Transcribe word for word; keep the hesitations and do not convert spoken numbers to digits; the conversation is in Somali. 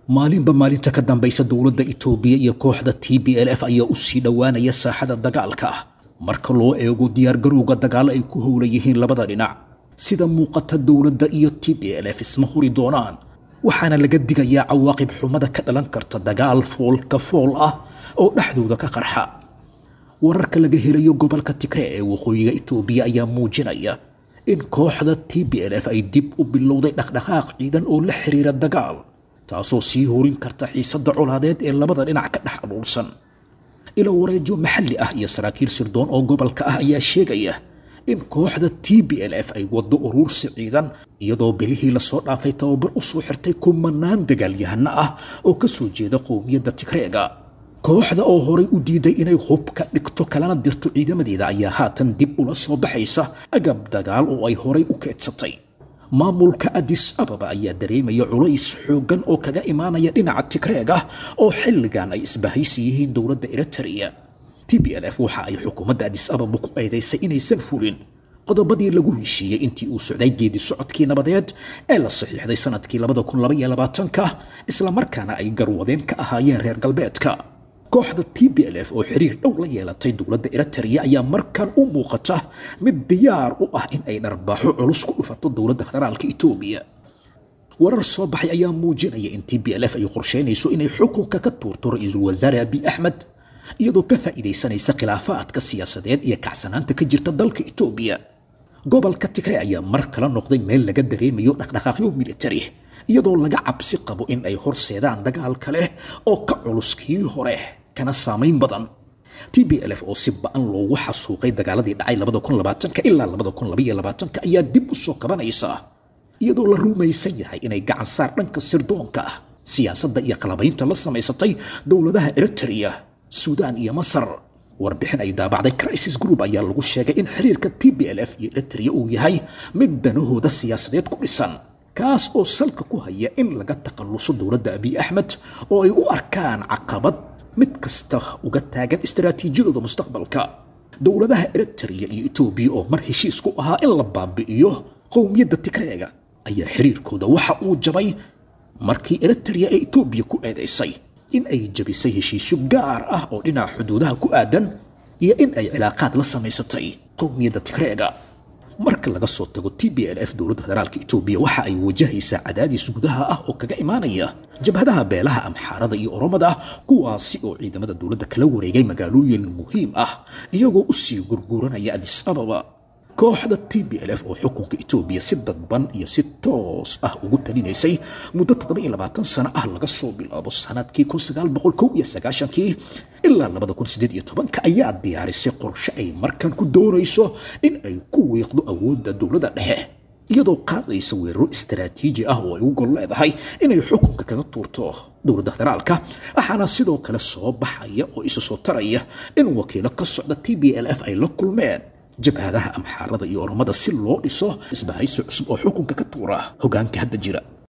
Maalinba maalinta ka dambaysa dowladda Itoobiya iyo kooxda T B L F ayaa u sii dhowaanaya saaxada dagaalka marka loo eego diyaargarowga dagaal ay ku howlan yihiin labada dhinac. Sida muuqata dowladda iyo T B L F isma huri doonaan, waxaana laga digayaa cawaaqib xumada ka dhalan karta dagaal foolka fool ah oo dhexdooda ka qarxa. Wararka laga helayo gobolka Tigray ee waqooyiga Itoobiya ayaa muujinaya in kooxda T B L F ay dib u bilowday dhaqdhaqaaq ciidan oo la xiriira dagaal, taasoo sii horin karta xiisadda colaadeed ee labada dhinac ka dhex abuursan. Ilo wareedyo maxalli ah iyo saraakiil sirdoon oo gobolka ah ayaa sheegaya in kooxda T B L F ay waddo uruursi ciidan, iyadoo bilihii lasoo dhaafay tababar u soo xirtay kumanaan dagaalyahano ah oo ka soo jeeda qowmiyadda Tigreega. Kooxda oo horay u diiday inay hubka dhigto kalana dirto ciidamadeeda ayaa haatan dib ula soo baxaysa agab dagaal oo ay horay u keedsatay. Maamulka Addis Ababa ayaa dareemaya culays xooggan oo kaga imaanaya dhinaca Tigreega oo xilligan ay isbahaysi yihiin dowladda Eritrea. T B L F waxa ay xukuumadda Addis Ababa ku eedeysay inaysan fulin qodobadii lagu heshiiyey intii uu socday geedi socodkii nabadeed ee la saxiixday sanadkii labada kun laba iyo labaatanka, isla markaana ay garwadeen ka ahaayeen reer galbeedka. Kooxda T B L F oo xiriir dhow la yeelatay dowladda Eritrea ayaa markan u muuqata mid diyaar u ah in ay dharbaaxo culus ku dhufato dowladda federaalka Itoobiya. Warar soo baxay ayaa muujinaya in T B L F ay qorsheynayso inay xukunka ka tuurto ra'iisul wasaare Abiy Ahmed, iyadoo ka faa'iidaysanaysa khilaafaadka siyaasadeed iyo kacsanaanta ka jirta dalka Itoobiya. Gobolka Tigray ayaa mar kale noqday meel laga dareemayo dhaqdhaqaaqyo military, iyadoo laga cabsi qabo in ay horseedaan dagaal kale oo ka culus kii hore kana saameyn badan. T B L F oo si ba'an loogu xasuuqay dagaaladii dhacay labada kun labaatanka ilaa labada kun laba iyo labaatanka ayaa dib u soo kabanaysa, iyadoo la rumaysan yahay inay gacan saar dhanka sirdoonka ah, siyaasadda iyo qalabaynta la samaysatay dowladaha Eritrea, Suudaan iyo Masar. Warbixin ay daabacday Crisis Group ayaa lagu sheegay in xiriirka T B L F iyo Eritrea uu yahay mid danahooda siyaasadeed ku dhisan, kaas oo salka ku haya in laga takhaluso dowladda Abiy Ahmed oo ay u arkaan caqabad mid kasta uga taagan istaraatiijiyadooda mustaqbalka. Dowladaha Eritrea iyo Itoobiya oo mar heshiis ku ahaa in la baabi'iyo qowmiyadda Tigreega ayaa xiriirkooda waxa uu jabay markii Eritrea ee Itoobiya ku eedeysay in ay jabisay heshiisyo gaar ah oo dhinaca xuduudaha ku aadan iyo in ay cilaaqaad la samaysatay qowmiyadda Tigreega. Marka laga soo tago T B L F, dowladda federaalka Itoobiya waxa ay wajahaysaa cadaadis gudaha ah oo kaga imaanaya jabhadaha beelaha Amxaarada iyo Oromada, kuwaasi oo ciidamada dowladda kala wareegay magaalooyin muhiim ah iyagoo u sii gurguranaya Addis Ababa. Kooxda T B L F oo xukunka Itoobiya si dadban iyo si toos ah ugu talinaysay muddo toddoba iyo labaatan sano ah laga soo bilaabo sanadkii kun sagaal boqol kow iyo sagaashankii ilaa labada kun siddeed iyo tobanka ayaa diyaarisay qorshe ay markan ku doonayso in ay ku wiiqdo awoodda dowladda dhexe, iyadoo qaadaysa weeraro istaraatiiji ah oo ay u gol leedahay inay xukunka kaga tuurto dowladda federaalka. Waxaana sidoo kale soo baxaya oo isu soo taraya in wakiilo ka socda T B L F ay la kulmeen jabhadaha Amxaarada iyo Oromada si loo dhiso isbahaysi cusub oo xukunka ka tuura hoggaanka hadda jira.